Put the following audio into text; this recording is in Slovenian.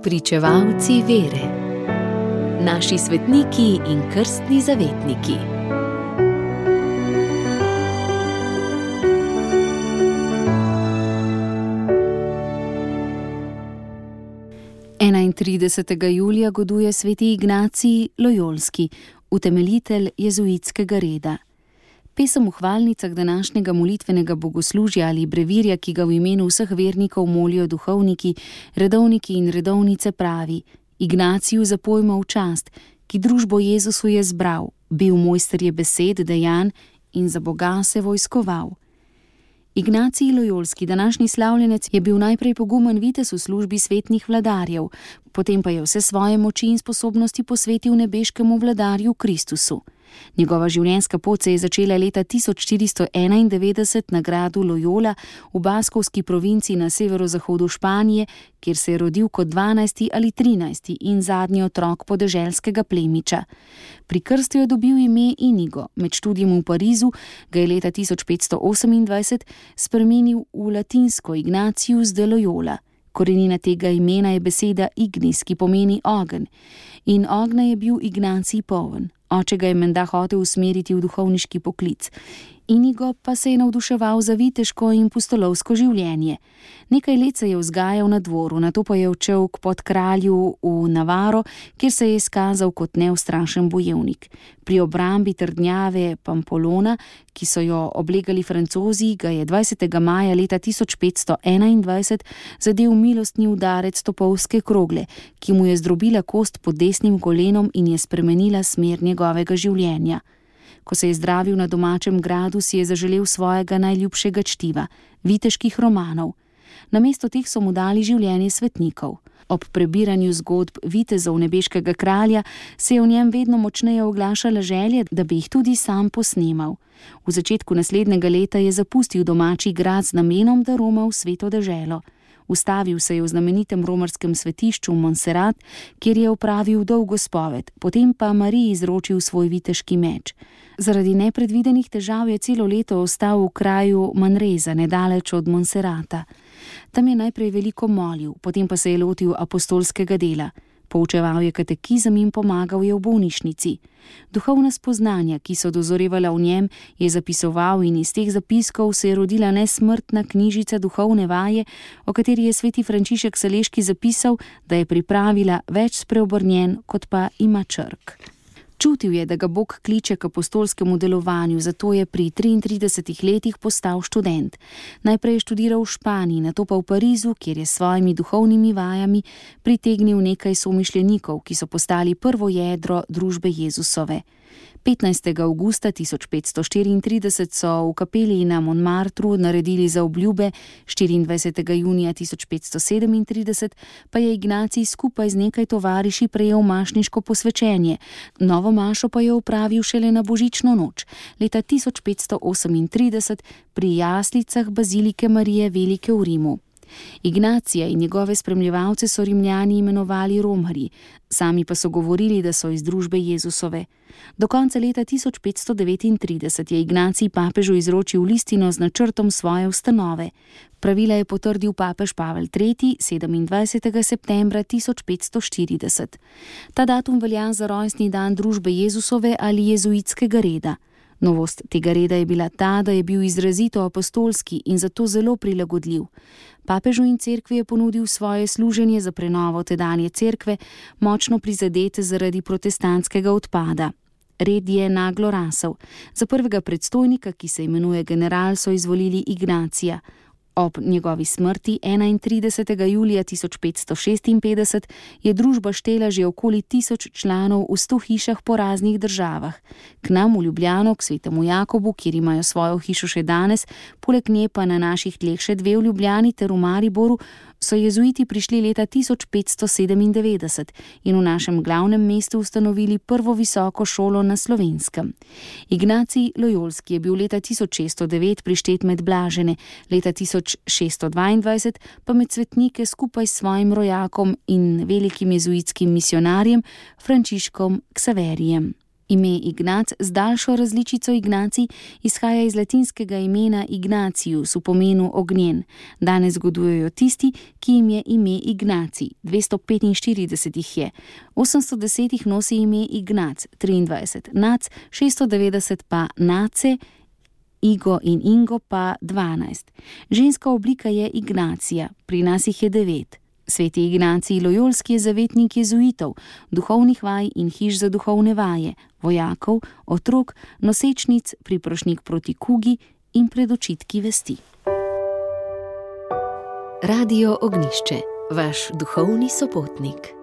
Spričevalci vere. Naši svetniki in krstni zavetniki. Julija goduje sveti Ignacij Lojolski, utemeljitelj jezuitskega reda. Pesem v hvalnicah današnjega molitvenega bogoslužja ali brevirja, ki ga v imenu vseh vernikov molijo duhovniki, redovniki in redovnice, pravi: Ignaciju zapojmo v čast, ki družbo Jezusu je zbral, bil mojster je besed, dejanj in za Boga se vojskoval. Ignacij Lojolski, današnji slavljenec, je bil najprej pogumen vitez v službi svetnih vladarjev, potem pa je vse svoje moči in sposobnosti posvetil nebeškemu vladarju Kristusu. Njegova življenjska pot se je začela leta 1491 na gradu Loyola v baskovski provinci na severozahodu Španije, kjer se je rodil kot 12. ali 13. in zadnji otrok podeželskega plemiča. Pri krstu je dobil ime Inigo, med študijem v Parizu ga je leta 1528 spremenil v latinsko Ignatius de Loyola. Korenina tega imena je beseda ignis, ki pomeni ogenj, in ognja je bil Ignacij poln. Oče ga je menda hotel usmeriti v duhovniški poklic. Inigo pa se je navduševal za viteško in pustolovsko življenje. Nekaj let se je vzgajal na dvoru, nato pa je odšel k podkralju v Navaro, kjer se je izkazal kot neustrašen bojevnik. Pri obrambi trdnjave Pampolona, ki so jo oblegali Francozi, ga je 20. maja leta 1521 zadel milostni udarec topovske krogle, ki mu je zdrobila kost pod desnim kolenom in je spremenila smer njegovega življenja. Ko se je zdravil na domačem gradu, si je zaželel svojega najljubšega čtiva, viteških romanov. Namesto teh so mu dali življenje svetnikov. Ob prebiranju zgodb vitezov nebeškega kralja se je v njem vedno močneje oglašala želja, da bi jih tudi sam posnemal. V začetku naslednjega leta je zapustil domači grad z namenom, da roma v sveto deželo. Ustavil se je v znamenitem romarskem svetišču Montserrat, kjer je opravil dolgo spoved, potem pa Mariji izročil svoj viteški meč. Zaradi nepredvidenih težav je celo leto ostal v kraju Manresa, nedaleč od Montserrata. Tam je najprej veliko molil, potem pa se je lotil apostolskega dela. Poučeval je katekizem in pomagal je v bolnišnici. Duhovna spoznanja, ki so dozorevala v njem, je zapisoval in iz teh zapiskov se je rodila nesmrtna knjižica Duhovne vaje, o kateri je sveti Frančišek Saleški zapisal, da je pripravila več spreobrnjen, kot pa ima črk. Čutil je, da ga Bog kliče k apostolskemu delovanju, zato je pri 33 letih postal študent. Najprej je študiral v Španiji, nato pa v Parizu, kjer je s svojimi duhovnimi vajami pritegnil nekaj somišljenikov, ki so postali prvo jedro družbe Jezusove. 15. avgusta 1534 so v kapeli na Montmartru naredili zaobljube, 24. junija 1537 pa je Ignacij skupaj z nekaj tovariši prejel mašniško posvečenje. Novo mašo pa je opravil šele na božično noč, leta 1538 pri jaslicah bazilike Marije Velike v Rimu. Ignacija in njegove spremljevalce so Rimljani imenovali romarji, sami pa so govorili, da so iz družbe Jezusove. Do konca leta 1539 je Ignacij papežu izročil listino z načrtom svoje ustanove. Pravila je potrdil papež Pavel III. 27. septembra 1540. Ta datum velja za rojstni dan družbe Jezusove ali jezuitskega reda. Novost tega reda je bila ta, da je bil izrazito apostolski in zato zelo prilagodljiv. Papežu in cerkvi je ponudil svoje služenje za prenovo tedanje cerkve, močno prizadete zaradi protestantskega odpada. Red je naglo rasel. Za prvega predstojnika, ki se imenuje general, so izvolili Ignacija. Ob njegovi smrti 31. julija 1556 je družba štela že okoli 1000 članov v 100 hišah po raznih državah. K nam v Ljubljano, k svetemu Jakobu, kjer imajo svojo hišo še danes, poleg nje pa na naših tleh še 2 v Ljubljani ter v Mariboru, so jezuiti prišli leta 1597 in v našem glavnem mestu ustanovili prvo visoko šolo na Slovenskem. Ignacij Lojolski je bil leta 1609 prištet med blažene, leta 1622 pa med svetnike skupaj s svojim rojakom in velikim jezuitskim misionarjem Frančiškom Ksaverijem. Ime Ignac z daljšo različico Ignacij izhaja iz latinskega imena Ignatius v pomenu ognjen. Danes zgodujejo tisti, ki jim je ime Ignacij, 245 jih je. 810 jih nosi ime Ignac, 23 Nac, 690 pa Nace, Igo in Ingo pa 12. Ženska oblika je Ignacija, pri nas jih je 9. Sveti Ignacij Lojolski je zavetnik jezuitov, duhovnih vaj in hiš za duhovne vaje, vojakov, otrok, nosečnic, priprošnjik proti kugi in pred očitki vesti. Radio Ognjišče, vaš duhovni sopotnik.